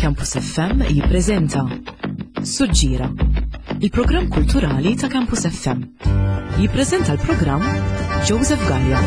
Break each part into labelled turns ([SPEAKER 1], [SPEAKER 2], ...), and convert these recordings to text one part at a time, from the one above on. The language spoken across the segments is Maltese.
[SPEAKER 1] Campus FM jippreżenta Suġġira, il-programm kulturali ta' Campus FM. Jippreżenta l-programm Joseph Gallia.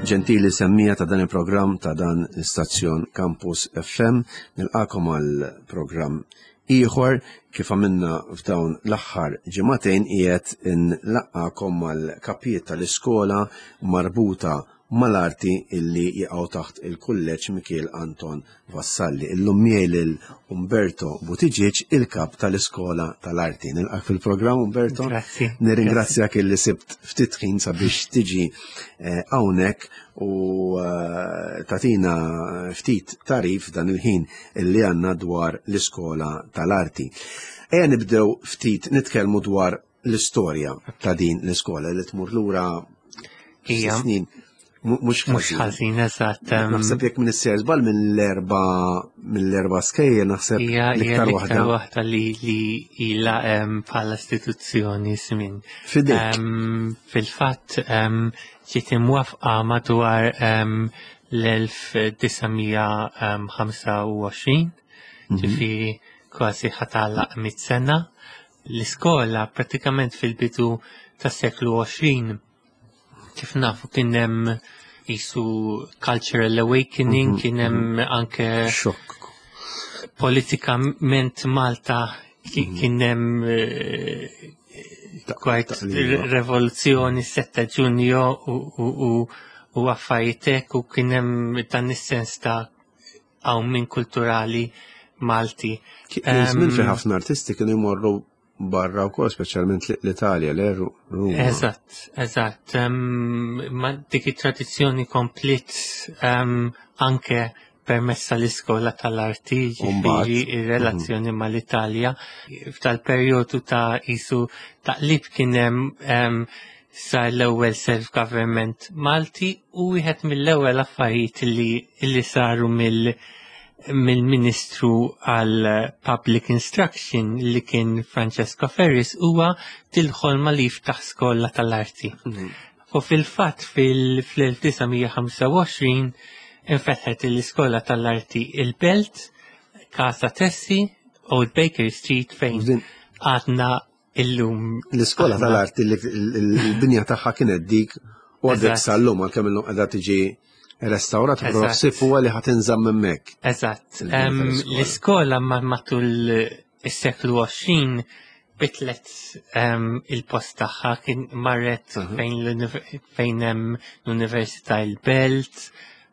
[SPEAKER 2] Ġentili semmija ta' dan il-programm ta' dan l-istazzjon Campus FM, nilqakom għal programm ieħor kif għamilna f'dawn l-aħħar ġimagħtejn qiegħed inlaqqakom mal-kapijiet tal-iskola marbuta mal-arti illi jaqgħu taħt il-Kulleġġ Mikiel Anton Vassalli. Illum miegħi lil Umberto Buttigieg, il-kap tal-Iskola tal-Arti. Nilqak fil-programm Umberto.
[SPEAKER 3] Grazzi.
[SPEAKER 2] Nirringrazzjak illi sibt ftit ħin sabiex tiġi eh, hawnhekk u eh, tatina ftit tarif dan il-ħin illi għandna dwar l-Iskola tal-Arti. Ejja nibdew ftit nitkellmu dwar l-istorja ta' din l-iskola li tmur lura
[SPEAKER 3] Ija.
[SPEAKER 2] snin. Mhux
[SPEAKER 3] Mhux ħażin, eżatt.
[SPEAKER 2] Naħseb jekk minn is-ser żball mill-erba mill-erba skejjel naħseb
[SPEAKER 3] Hija hija
[SPEAKER 2] l-iktar
[SPEAKER 3] l-iktar
[SPEAKER 2] waħda.
[SPEAKER 3] waħda li li ilha bħala istituzzjoni żmien.
[SPEAKER 2] Fidejk.
[SPEAKER 3] Fil-fatt ġiet imwafqa madwar l-1925, ġifieri kważi ħatalaq mit sena. L-iskola pratikament fil-bidu tas-seklu 20 kif nafu kien hemm isu cultural awakening, kien hemm anke
[SPEAKER 2] Xokk.
[SPEAKER 3] politikament Malta kien hemm kwajt
[SPEAKER 2] taqliba.
[SPEAKER 3] rivoluzzjoni 7 Ġunju u affarijiet hekk u kien hemm dan is-sens ta' qawmien kulturali Malti.
[SPEAKER 2] Kien żmien fejn ħafna artisti kienu jmorru barra wkoll, speċjalment l-Italja, le Ruma.
[SPEAKER 3] Eżatt, eżatt. Ma dik it-tradizzjoni komplit anke permezz tal-iskola tal-arti,
[SPEAKER 2] U mbagħad,
[SPEAKER 3] ġifieri ir-relazzjoni mal-Italja. F'tal-perjodu ta' isu taqlib kien hemm sar l-ewwel self-government Malti u wieħed mill-ewwel affarijiet li saru mill-Ministru għal Public Instruction li kien Francesco Ferris huwa til-ħolma li jiftaħ skola tal-arti. U fil-fatt fil-1925 infetħet l-iskola tal-arti il-Belt, Casa Tessi, Old Baker Street fejn għadna illum.
[SPEAKER 2] L-iskola
[SPEAKER 3] aħna.
[SPEAKER 2] tal-arti li l-binja tagħha kienet dik u għadek sal-lum għalkemm illum qiegħda tiġi restawrat, però ħsieb huwa li ħa tinżamm hemmhekk.
[SPEAKER 3] Eżatt.
[SPEAKER 2] Il-binja tal-iskola.
[SPEAKER 3] L-iskola matul is-seklu 20 bitlet il-post tagħha, kien marret fejn hemm l-Università il-Belt,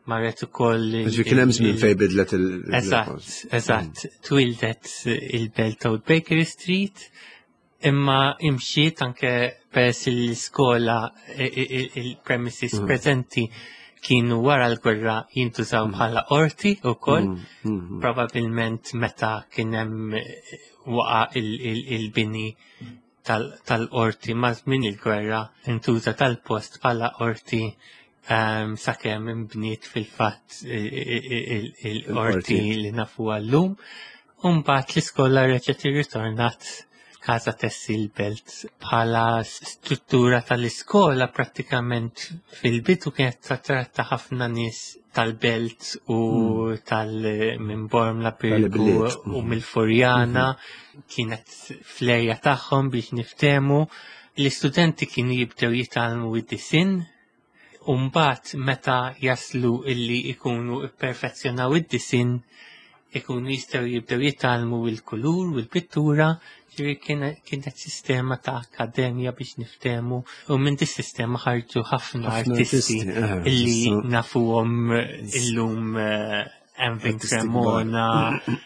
[SPEAKER 3] marret ukoll
[SPEAKER 2] Ġifieri kien hemm żmien fejn bidlet il-
[SPEAKER 3] Eżatt, eżatt. Twildet il-Belt Old Baker Street, imma imxiet anke peress l-iskola il-premises preżenti kienu wara l-gwerra jintużaw bħala qorti wkoll, probabilment meta kien hemm waqa il-bini tal-qorti ma' żmien il-gwerra intuża tal-post bħala qorti sakemm imbniet fil-fatt il-qorti li nafu għallum. U mbagħad l-iskola reġgħet irritornat Casa Tessi l-Belt bħala struttura tal-iskola prattikament fil-bidu kienet tratta ħafna nies tal-Belt u tal minn Bormla Birgu
[SPEAKER 2] Tal-Bliet.
[SPEAKER 3] u mill-Furjana, kienet fl-erja tagħhom biex niftehmu. L-istudenti kienu jibdew jitgħallmu id-disin u mbagħad meta jaslu illi ikunu ipperfezzjonaw id-disin ikunu jistgħu jibdew jitgħallmu il-kulur u l-pittura, ġifieri kienet sistema ta' akkademja biex niftehmu, u minn dis sistema ħarġu ħafna
[SPEAKER 2] Ħafna
[SPEAKER 3] artisti
[SPEAKER 2] artisti,
[SPEAKER 3] illi
[SPEAKER 2] issa.
[SPEAKER 3] nafuhom illum Emvin
[SPEAKER 2] Artisti
[SPEAKER 3] Cremona,
[SPEAKER 2] kbar.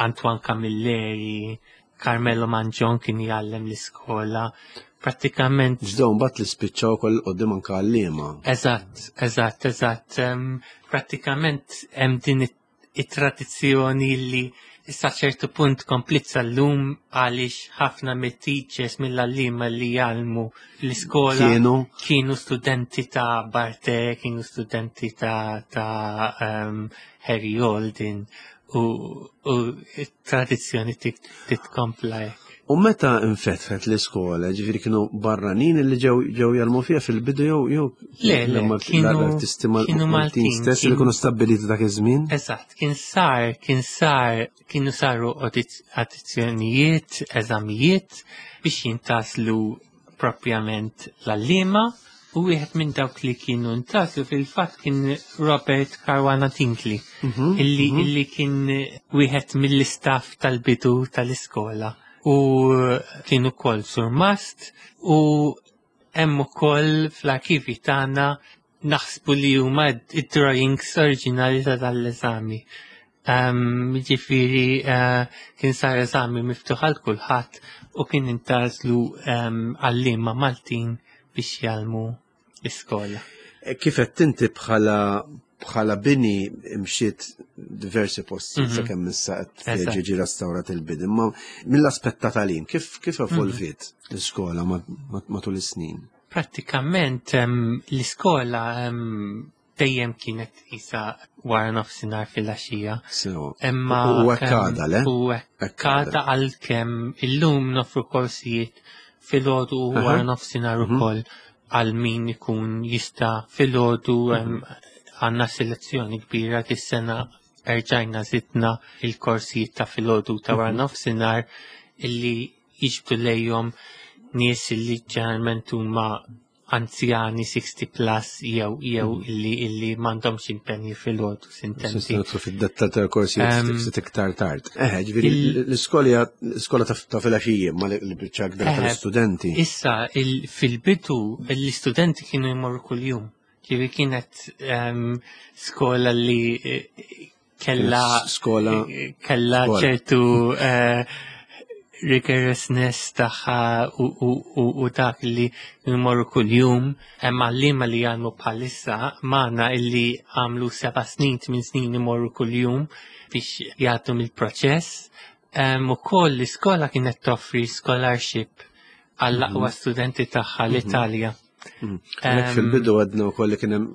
[SPEAKER 3] Antoine Camilleri, Carmelo Mangion kien jgħallem l-iskola. Pratikament
[SPEAKER 2] Ġdew mbagħad li spiċċaw ukoll qudiem anke għalliema.
[SPEAKER 3] Eżatt, eżatt, eżatt. Pratikament hemm din it-tradizzjoni li Issa ċertu punt komplit sal-lum għaliex ħafna mit-teachers mill-għalliema li jgħallmu l-iskola
[SPEAKER 2] Kienu
[SPEAKER 3] kienu studenti ta' Barthes, kienu studenti ta' Harry Alden u tradizzjoni titkompla hekk.
[SPEAKER 2] U meta infetħet l-iskola, ġifieri kienu barranin li ġew jgħallmu fiha fil-bidu jew
[SPEAKER 3] Le,
[SPEAKER 2] l-artisti
[SPEAKER 3] kienu
[SPEAKER 2] Maltin
[SPEAKER 3] Maltin,
[SPEAKER 2] stess li kienu stabbiliti dak iż-żmien?
[SPEAKER 3] Eżatt, kien sar, kien sar, kienu saru audizzjonijiet, eżamijiet biex jintgħażlu propjament l-għalliema u wieħed minn dawk li kienu ntgħażlu fil-fatt kien Robert Caruana Tinkley, illi kien wieħed mill-istaff tal-bidu tal-iskola u kien ukoll surmast u hemm ukoll fl-arkivi tagħna naħsbu li huma id-drawings oriġinali ta' dal-eżami. Ġifieri kien sar eżami miftuħ għal kulħadd u kien intgħażlu għalliema Maltin biex jgħallmu l-iskola.
[SPEAKER 2] E kif qed inti bħala bini imxiet diversi posti sakemm issa qed jiġi restawrat il-bini, imma mill-aspett ta' tagħlim kif evolviet l-iskola matul is-snin?
[SPEAKER 3] Prattikament l-iskola dejjem kienet isa wara nofsinhar fil-għaxija. Imma
[SPEAKER 2] U hekk għadha, le?
[SPEAKER 3] U hekk għadha għalkemm illum nofru korsijiet filgħodu u wara nofsinhar ukoll għal min ikun jista' filgħodu. Għandna selezzjoni kbira dis-sena, erġajna zidna il-korsijiet ta' filgħodu ta' wara nofsinhar illi jiġbdu lejhom nies illi ġeneralment huma anzjani 60 plus jew illi m'għandhomx impenji filgħodu sintendi.
[SPEAKER 2] Se nidħlu fid-dettal tal-korsijiet ftit iktar tard. Ġifieri l-iskola ta' filgħaxija ma li biċċa kbira tal-istudenti.
[SPEAKER 3] Issa fil-bidu l-istudenti kienu jmorru kuljum. Ġifieri kienet skola li kella
[SPEAKER 2] Skola
[SPEAKER 3] kella
[SPEAKER 2] skola.
[SPEAKER 3] ċertu rigorousness tagħha u dak li jmorru kuljum. Hemm għalliema li jgħallmu bħalissa magħna illi għamlu 7 snin, 8 snin imorru kuljum biex jgħaddu mill-proċess. Ukoll l-iskola kienet toffri scholarship għall-aqwa studenti tagħha l-Italja.
[SPEAKER 2] Għalhekk fil-bidu għedna wkoll li kien hemm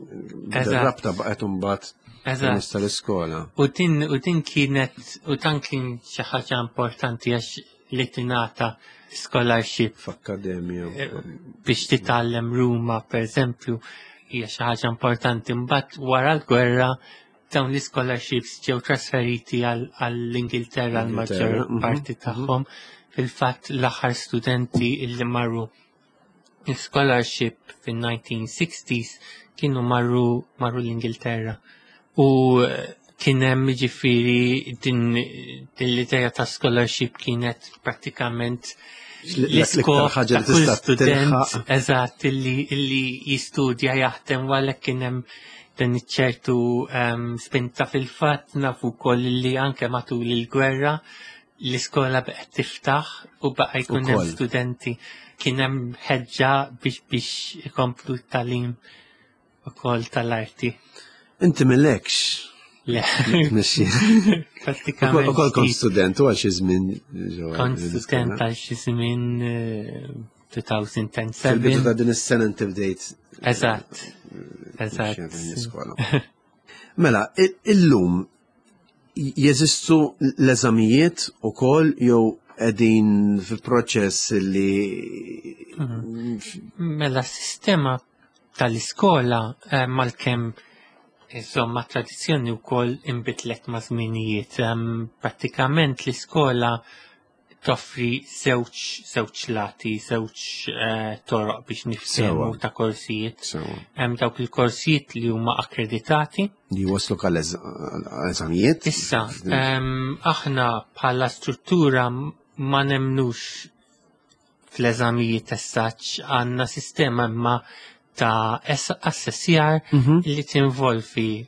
[SPEAKER 2] rabta baqgħet imbagħad permezz tal-iskola.
[SPEAKER 3] U din kienet, u dan kien xi ħaġa importanti għax li tingħata scholarship
[SPEAKER 2] f'akkademja
[SPEAKER 3] biex titgħallem Ruma, per eżempju, hija xi ħaġa importanti. Mbagħad wara l-gwerra dawn l-scholarships ġew trasferiti għall-Ingilterra l-maġġor
[SPEAKER 2] Ingilterra,
[SPEAKER 3] parti tagħhom. Fil-fatt l-aħħar studenti illi marru scholarship fin-1960s kienu marru l-Ingilterra. U kien hemm ġifieri din l-idea ta' scholarship kienet prattikament
[SPEAKER 2] l-iktar
[SPEAKER 3] l-iskop
[SPEAKER 2] ħaġa
[SPEAKER 3] ta'
[SPEAKER 2] li
[SPEAKER 3] kull
[SPEAKER 2] tista'
[SPEAKER 3] student,
[SPEAKER 2] tilħaq.
[SPEAKER 3] Eżatt, illi jistudja jaħdem u għalhekk kien hemm dan iċ-ċertu spinta. Fil-fatt nafu wkoll li anke matul il-gwerra l-iskola baqgħet tiftaħ u baqa' jkun hemm
[SPEAKER 2] Ukoll.
[SPEAKER 3] studenti. Kien hemm ħeġġa biex ikomplu t-tagħlim ukoll tal-arti.
[SPEAKER 2] Inti millekx.
[SPEAKER 3] Le.
[SPEAKER 2] Mexxi.
[SPEAKER 3] Prattikament.
[SPEAKER 2] Ukoll kont
[SPEAKER 3] ftit.
[SPEAKER 2] student u għal xi żmien ġewwa
[SPEAKER 3] Kont
[SPEAKER 2] l-iskola.
[SPEAKER 3] student għal xi żmien 2007.
[SPEAKER 2] Fil-bidu ta' din is-sena inti bdejt.
[SPEAKER 3] Eżatt. Eżatt.
[SPEAKER 2] Mexxi din l-iskola. Mela, illum jeżistu l-eżamijiet ukoll jew qegħdin fil-proċess li
[SPEAKER 3] Mela, s-sistema tal-iskola malkemm insomma tradizzjoni wkoll inbidlet ma' żminijiet. Prattikament l-iskola toffri żewġ lati, żewġ toroq biex niftehmu ta' korsijiet. Hemm dawk il-korsijiet li huma akkreditati.
[SPEAKER 2] Li waslu għal eżamijiet.
[SPEAKER 3] Issa, aħna bħala struttura ma nemnux fl-eżamijiet essaċ, għandna sistema imma ta' assessjar li tinvolvi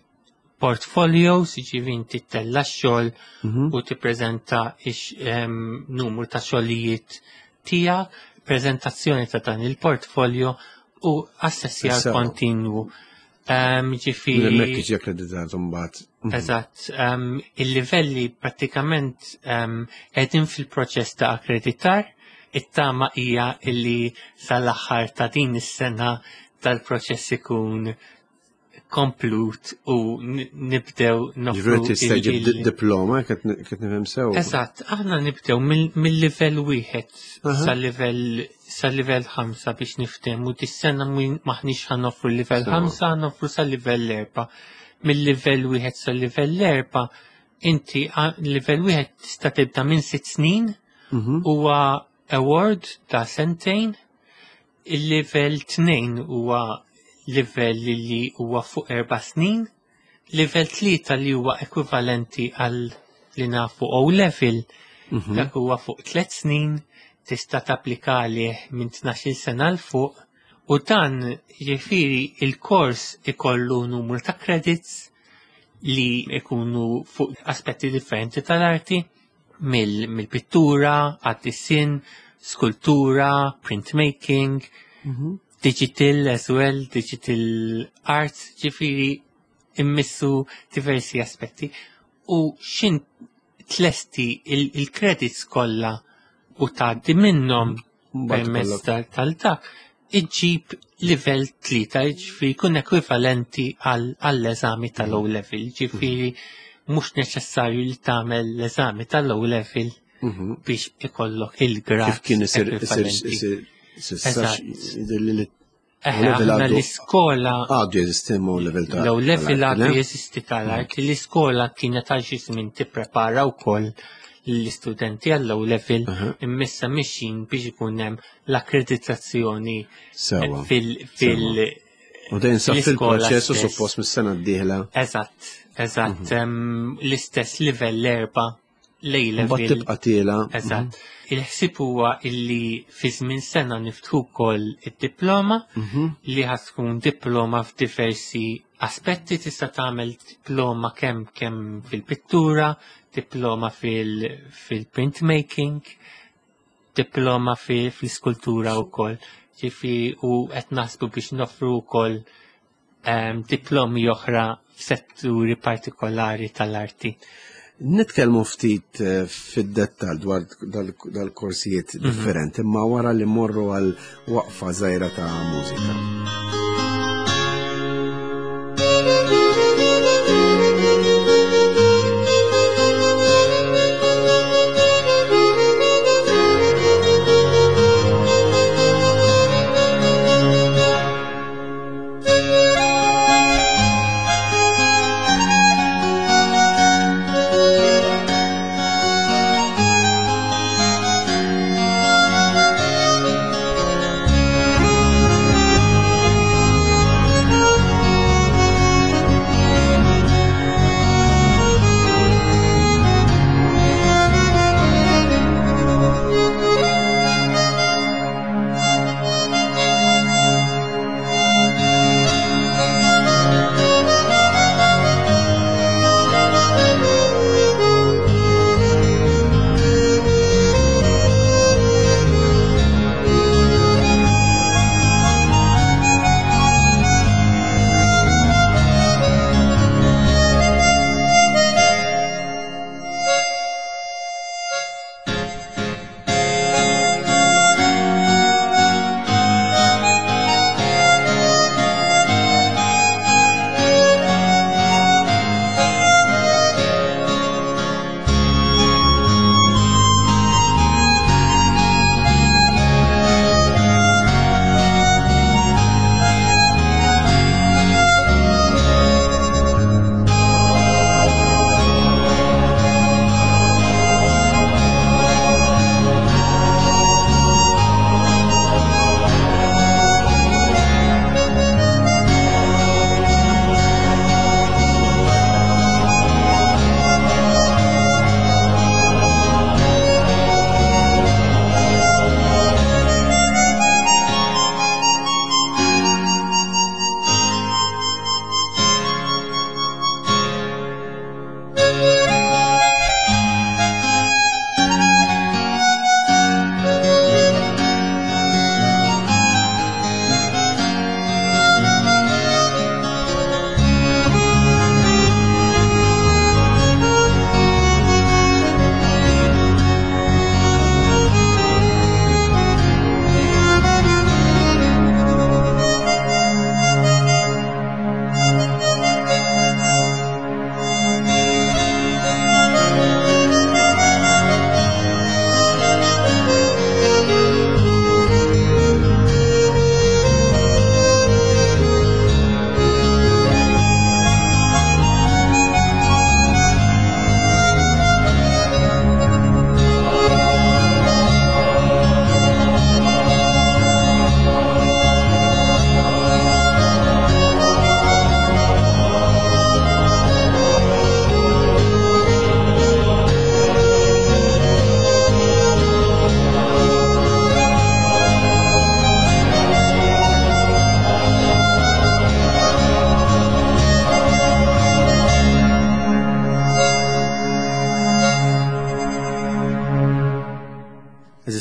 [SPEAKER 3] portfolios, jiġifieri inti ttella' x-xogħol u tippreżenta numru ta' xogħlijiet tiegħek, preżentazzjoni ta' dan il-portfolio u assessjar kontinwu. Ġifieri.
[SPEAKER 2] Hemmhekk jiġi akkreditat imbagħad.
[SPEAKER 3] Eżatt, il-livelli prattikament qegħdin fil-proċess ta' akkreditar, it-tama hija illi sal-aħħar ta' din is-sena tal-proċess ikun komplut u nibdew
[SPEAKER 2] noffru. Ġifieri tista' ġib diploma qed nifhem sew.
[SPEAKER 3] Eżatt, aħna nibdew mill-livell wieħed sal-livell 5 biex niftehmu dis-sena maħniex ħa noffru l-livell 5, noffru sal-livell 4. Mill-livell wieħed sal-livell 4 inti livell wieħed tista' tibda minn 6 snin huwa award ta' sentejn, il-livell 2 huwa livell li huwa fuq 4 snin, livell 3 li huwa ekwivalenti għal li nafu O level, dak huwa fuq 3 snin, tista' tapplika għalih minn 12 sena 'l fuq, u dan jiġifieri il-kors ikollu numru ta' credits li ikunu fuq aspetti differenti tal-arti, mill-pittura, għad-disinn, skultura, printmaking, digital as well, digital art, ġifieri immissu diversi aspetti. U xin tlesti il-credits kollha u tgħaddi minnhom permezz tal-dak, iġġib livell 3, ġifieri jkun ekwivalenti għall-eżami tal-O level, ġifieri mhux neċessarju li tagħmel l-eżami tal-O level biex ikollok il-grad.
[SPEAKER 2] Kif kien isir
[SPEAKER 3] Aħna l-iskola
[SPEAKER 2] għadu jeżisti O level tal
[SPEAKER 3] L-O level għadu jeżisti tal-art, l-iskola kienet għal xi żmien tipprepara wkoll l-istudenti għall-O level, immissa mixin biex ikun hemm l-akkreditazzjoni fil-
[SPEAKER 2] U dejn sa fil-proċess u suppost mis-sena d-dieħla.
[SPEAKER 3] Eżatt, eżatt, l-istess livell 4, l-A level.
[SPEAKER 2] Mbagħad tibqa' tiela.
[SPEAKER 3] Eżatt. Il-ħsieb huwa illi fi żmien sena niftħu wkoll id-diploma li ħa tkun diploma f'diversi aspetti, tista' tagħmel diploma kemm fil-pittura, diploma fil-printmaking, diploma fil-skultura wkoll. Ġifieri u qed naħsbu biex noffru wkoll diplomi oħra f'setturi partikolari tal-arti.
[SPEAKER 2] Nitkellmu ftit fid-dettall dwar dal-korsijiet differenti, imma wara li morru għal waqfa żgħira ta' mużika.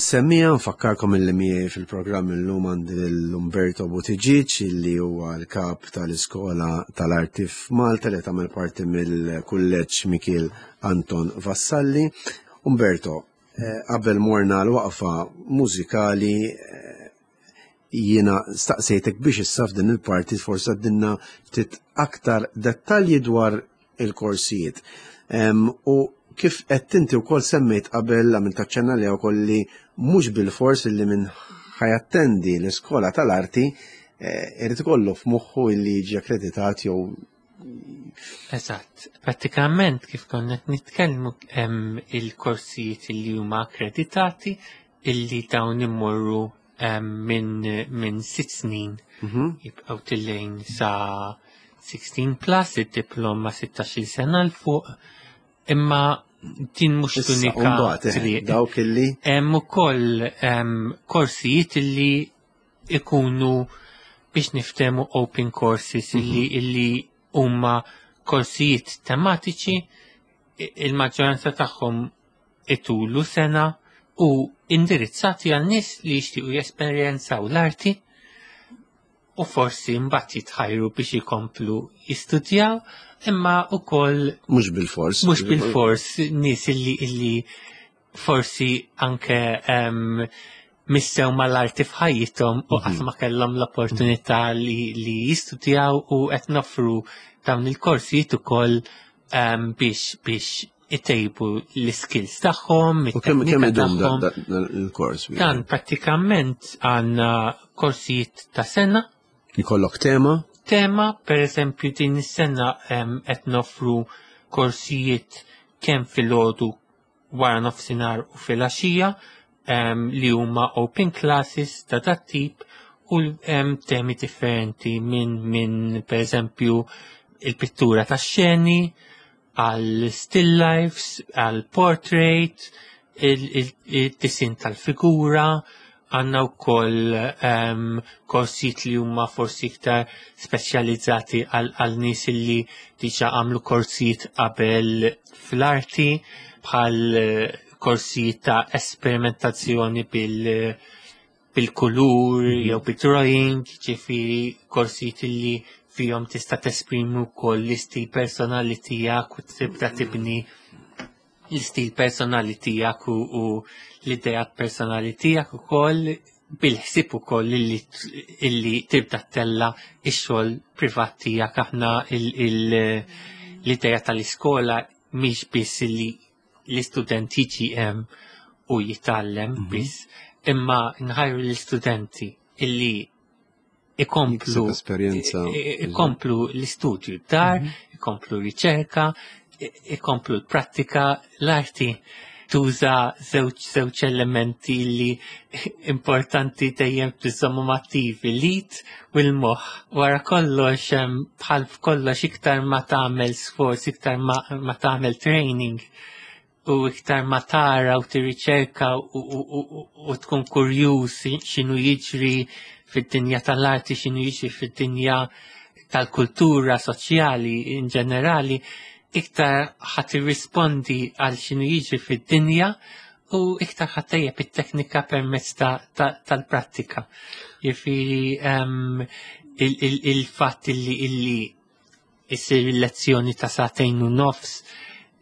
[SPEAKER 2] Semmija, nfakkarkom illi miegħi fil-programm illum għandi l-Umberto Buttigieg illi huwa l-kap tal-Iskola tal-Arti f'Malta li tagħmel parti mill-Kulleġġ Mikiel Anton Vassalli. Umberto, eh, qabel morna l-waqfa mużikali eh, jiena staqsejtek biex issa f'din il-parti forsi għaddinna ftit aktar dettalji dwar il-korsijiet. U kif qed inti wkoll semmejt qabel għamil taċċenna li wkoll li mhux bil-fors li minn ħajattendi l-iskola tal-arti eh, irid ikollu f'moħħu li jiġi akkreditat jew
[SPEAKER 3] Eżatt. Pratikament kif konna qed nitkellmu hemm il-korsijiet li huma akkreditati illi dawn immorru minn min sitt snin mhm. jibqgħu tillejn sa 16 plus id-diploma 16 sena l fuq imma din mhux l-unika
[SPEAKER 2] eh, dawk illi
[SPEAKER 3] hemm ukoll korsijiet illi ikunu biex niftemu open courses illi mhm. illi huma korsijiet tematiċi il-maġġoranza tagħhom itulu sena u indirizzati għal nies li jixtiequ jesperjenzaw l-arti u forsi mbagħad jitħajru biex ikomplu jistudjaw imma wkoll
[SPEAKER 2] mhux bil-fors
[SPEAKER 3] mhux bil-fors nies illi illi forsi anke um, missew mal-arti f'ħajjithom u qatt ma kellhom l-opportunità li, li jistudjaw u qed noffru dawn il-korsijiet ukoll um, biex biex itejbu l-skills tagħhom,
[SPEAKER 2] U kemm kemm idum il-kors?
[SPEAKER 3] Dan prattikament għandna korsijiet ta' sena.
[SPEAKER 2] Jkollok tema?
[SPEAKER 3] Tema, per eżempju, din is-sena qed nofru korsijiet kemm filgħodu wara nofsinhar u filgħaxija li huma open classes ta' dat tip u hemm temi differenti minn min per eżempju il-pittura ta' xeni, għal still lifes, għal portrait, il-disin tal-figura, għanna u koll um, ehm, korsijiet li huma forsi iktar speċjalizzati għal nies li diġa għamlu korsijiet qabel fl-arti bħal eh, korsijiet ta' esperimentazzjoni bil bil-kulur jew bid-drawing, ġifieri korsijiet li fihom tista' tesprimi wkoll l-istil personali tiegħek u tibda tibni l-istil personali tiegħek u, u l-idejat personali tiegħek ukoll bil-ħsieb ukoll illi, illi tibda tella ix-xogħol privat tiegħek aħna l-idea tal-iskola mhix biss illi l-istudent jiġi hemm u jitgħallem mhm. biss, imma nħajru l-istudenti illi ikomplu
[SPEAKER 2] esperjenza
[SPEAKER 3] ikomplu l-istudju dar, mhm. ikomplu riċerka, ikomplu l-prattika, l-arti tuża żewġ żewġ elementi li importanti dejjem tiżommhom attivi, l-id u l-moħħ. Wara kollox bħal f'kollox iktar ma tagħmel sforz, iktar ma, ma tagħmel training u iktar ma tara u tirriċerka u, u, u, u tkun kurjuż x'inhu jiġri fid-dinja tal-arti, x'inhu jiġri fid-dinja tal-kultura soċjali in ġenerali, iktar ħadd irrispondi għal x'inhu jiġri fid-dinja u iktar ħadd tejjeb it-teknika permezz tal-prattika. Jiġifieri ehm, il-fatt illi illi issir il-lezzjoni ta' sagħtejn u nofs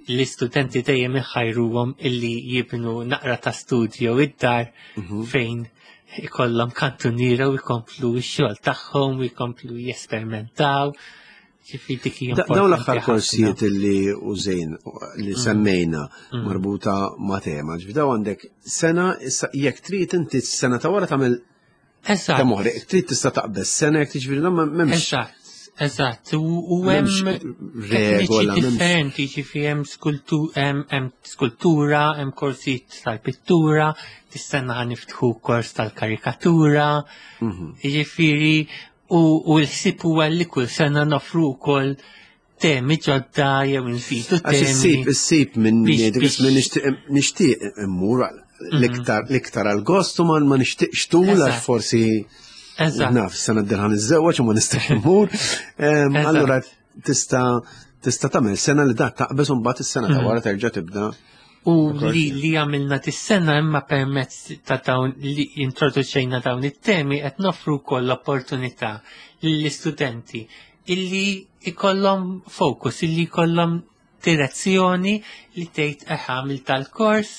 [SPEAKER 3] l-istudenti dejjem iħajruhom illi jibnu naqra ta' studju id-dar mhm. fejn ikollhom kantuniera u jkomplu x-xogħol tagħhom u jkomplu jesperimentaw.
[SPEAKER 2] Dawn l-aħħar korsijiet li użejn li mm. semmejna mm. marbuta ma' tema, ġifi daw għandek sena, issa jekk trid inti sena ta' wara tagħmel
[SPEAKER 3] Eżatt.
[SPEAKER 2] Ta' moħri, trid tista' taqbeż sena jekk tiġifieri m'hemmx.
[SPEAKER 3] Eżatt, eżatt. U hemm
[SPEAKER 2] regola
[SPEAKER 3] differenti, ġifi hemm skultura, hemm korsijiet tal-pittura, tistenna ħa niftħu kors tal-karikatura. Mhm. Ġifieri U, u l-ħsieb huwa li kull sena nofru wkoll temi ġodda jew nżidu temi.
[SPEAKER 2] Għax issib, issib minn minn nixtieq immur mhm. l-iktar l-iktar għal-gost u ma nixtieqx tul għax forsi naf sena d-dirħan iż-żewġ u ma nistax immur. Allura tista' tista' tagħmel sena li dak taqbeż u mbagħad is-sena ta' mhm. wara terġa' tibda.
[SPEAKER 3] U li li għamilna tis-sena imma permezz ta' dawn li introduċejna dawn it-temi qed nofru wkoll l-opportunità lill-istudenti illi ikollhom focus, illi jkollhom direzzjoni li tgħid eh għamil tal-kors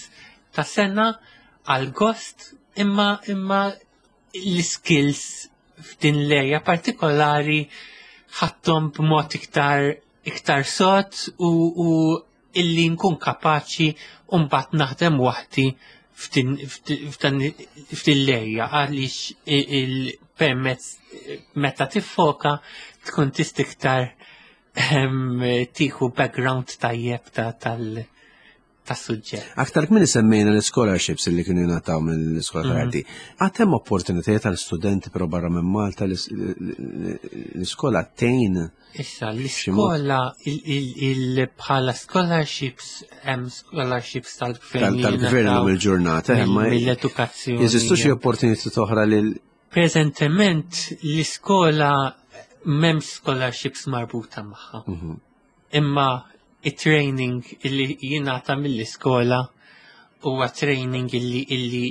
[SPEAKER 3] ta' sena għal gost imma imma l-skills f'din l-area partikolari ħadthom b'mod iktar iktar sod u, u illi nkun kapaċi u mbagħad naħdem waħdi f'din l-area għaliex il-permezz meta tiffoka tkun tista' iktar tieħu background tajjeb ta' tal tas-suġġett.
[SPEAKER 2] Aktar kmieni semmejna l-scholarships li kienu jingħataw mill-iskola tal-arti. Għad hemm opportunitajiet għal studenti però barra minn Malta l-iskola tgħin.
[SPEAKER 3] Issa l-iskola bħala scholarships hemm scholarships tal-gvern.
[SPEAKER 2] Tal-gvern illum il-ġurnata,
[SPEAKER 3] imma mill-edukazzjoni.
[SPEAKER 2] Jeżistu xi opportunitajiet oħra lil
[SPEAKER 3] Preżentement l-iskola m'hemmx scholarships marbuta magħha. Imma it-training illi jingħata mill-iskola huwa training illi illi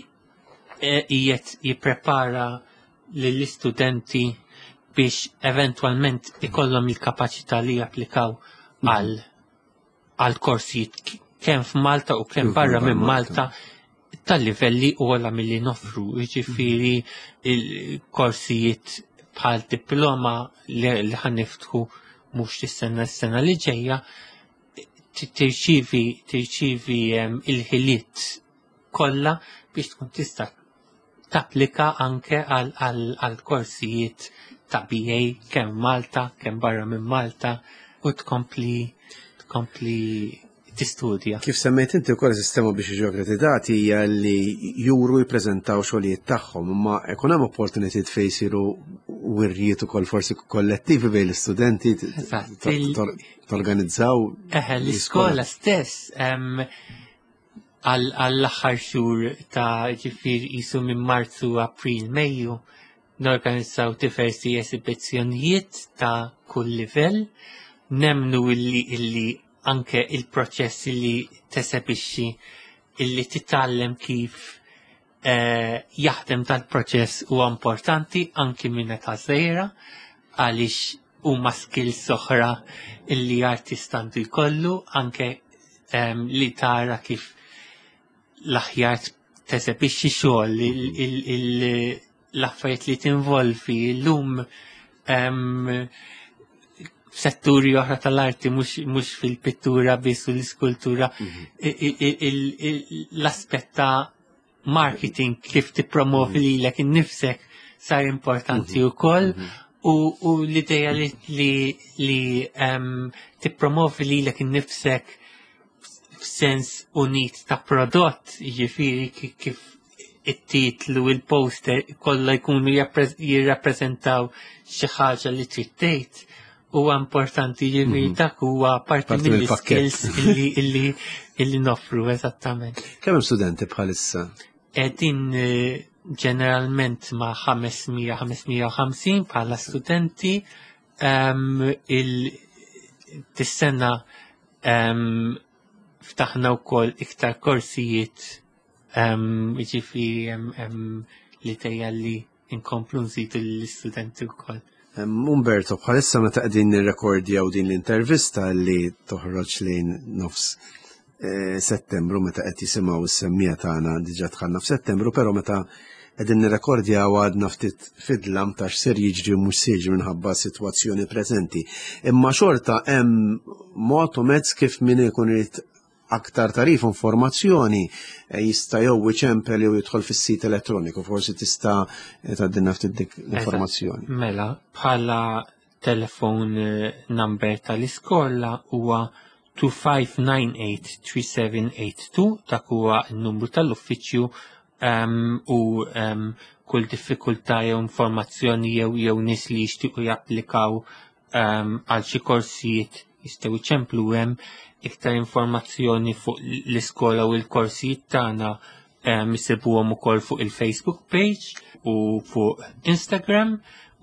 [SPEAKER 3] qiegħed jipprepara lill-istudenti biex eventwalment ikollhom il-kapaċità li japplikaw għal għal korsijiet kemm f'Malta u kemm barra minn Malta tal-livelli ogħla milli noffru, jiġifieri il-korsijiet bħal diploma li ħaniftħu mhux is-sena s-sena li ġejja tirċivi tirċivi il-ħiliet kollha biex tkun tista' tapplika anke għal korsijiet ta' BA kemm Malta, kemm barra minn Malta u tkompli tkompli tistudja.
[SPEAKER 2] Kif semmejt inti wkoll sistema biex jiġu akkreditati hija li juru jippreżentaw xogħlijiet tagħhom, imma ikun hemm opportunitajiet fejn jsiru wirjiet ukoll forsi kollettivi bejn l-istudenti torganizzaw.
[SPEAKER 3] Eħe, l-iskola stess għall-aħħar xhur ta' ġifier jisu minn Marzu, April, Mejju norganizzaw diversi esibizzjonijiet ta' kull livell, nemnu illi illi anke il-proċess illi tesebixxi illi titgħallem kif eh, jaħdem tal-proċess huwa importanti anki minn età żgħira għaliex huma skills oħra illi artist għandu jkollu anke um, li tara kif l-aħjar tesebixxi xogħol l-affarijiet li tinvolvi llum um, setturi oħra tal-arti mhux fil-pittura biss u l-iskultura mhm. l-aspett ta' marketing kif tippromovi mhm. lilek innifsek sar importanti mhm. ukoll u l-ideja li li tippromovi lilek innifsek f'sens unit ta' prodott, jiġifieri kif it-titlu, il-poster, kollha jkunu jirrappreżentaw xi ħaġa li trid tgħid huwa importanti jiġifieri mhm. dak huwa parti mill-skills illi illi illi noffru eżattament.
[SPEAKER 2] Kemm hemm studenti bħalissa?
[SPEAKER 3] Qegħdin eh, ġeneralment ma' 500-550 bħala studenti il tis-sena ftaħna wkoll iktar korsijiet jiġifieri hemm l-idea li nkomplu nżidu lill-istudenti wkoll.
[SPEAKER 2] Umberto, bħalissa meta qegħdin nirrekordjaw din l-intervista li toħroġ lejn nofs eh, settembru meta qed jisimgħu s-semmija tagħna diġà dħalna f'Settembru, però meta qegħdin nirrekordjaw għadna ftit fidlam ta' x'ser jiġri u mhux se jiġri minħabba s-sitwazzjoni preżenti. Imma xorta hemm mod u mezz kif min ikun irid aktar tarif informazzjoni eh, jista' jew iċempel jew jidħol fis-sit elettroniku, forsi tista' eh, tgħaddilna ftit dik l-informazzjoni.
[SPEAKER 3] Mela, bħala telefon eh, number tal-iskola huwa 2598-3782 dak huwa n-numru tal-uffiċċju um, u um, kull diffikultà jew informazzjoni jew jew nies li jixtiequ japplikaw għal xi korsijiet jistgħu jċemplu hemm iktar informazzjoni fuq l-iskola u l-korsijiet tagħna isibuhom ukoll fuq il-Facebook page u fuq Instagram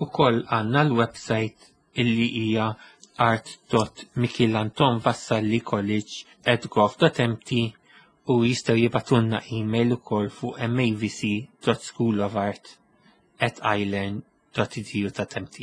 [SPEAKER 3] ukoll għandna l-website illi hija art.michielantonvassallicollege@gov.mt. U jistgħu jibgħatulna email ukoll fuq mavc.schoolofart@ilearn.edu.mt.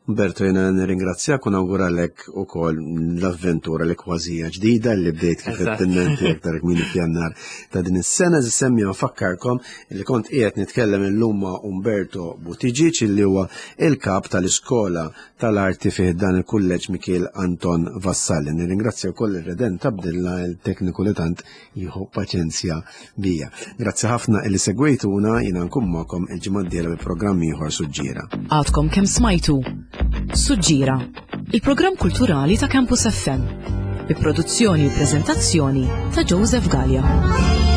[SPEAKER 2] Umberto, jena nirringrazzjak u nawguralek ukoll l-avventura li kważija ġdida li bdejt kif qed aktar kmieni f'Jannar ta' din is-sena. Semmi nfakkarkom li kont qiegħed nitkellem illum ma' Umberto Buttigieg li huwa il-kap tal-Iskola tal-Arti fih dan il-Kulleġġ Mikiel Anton Vassalli. Nirringrazzja wkoll ir-Redent Abdilla il-tekniku li tant jieħu paċenzja bija. Grazzi ħafna illi segwejtuna jiena nkun magħkom il-ġimgħa d-dieħla bi programm ieħor Suġġiera.
[SPEAKER 1] Għadkom kemm smajtu Suġġiera, il-programm kulturali ta' Campus FM, bi produzzjoni u preżentazzjoni ta' Joseph Gallia.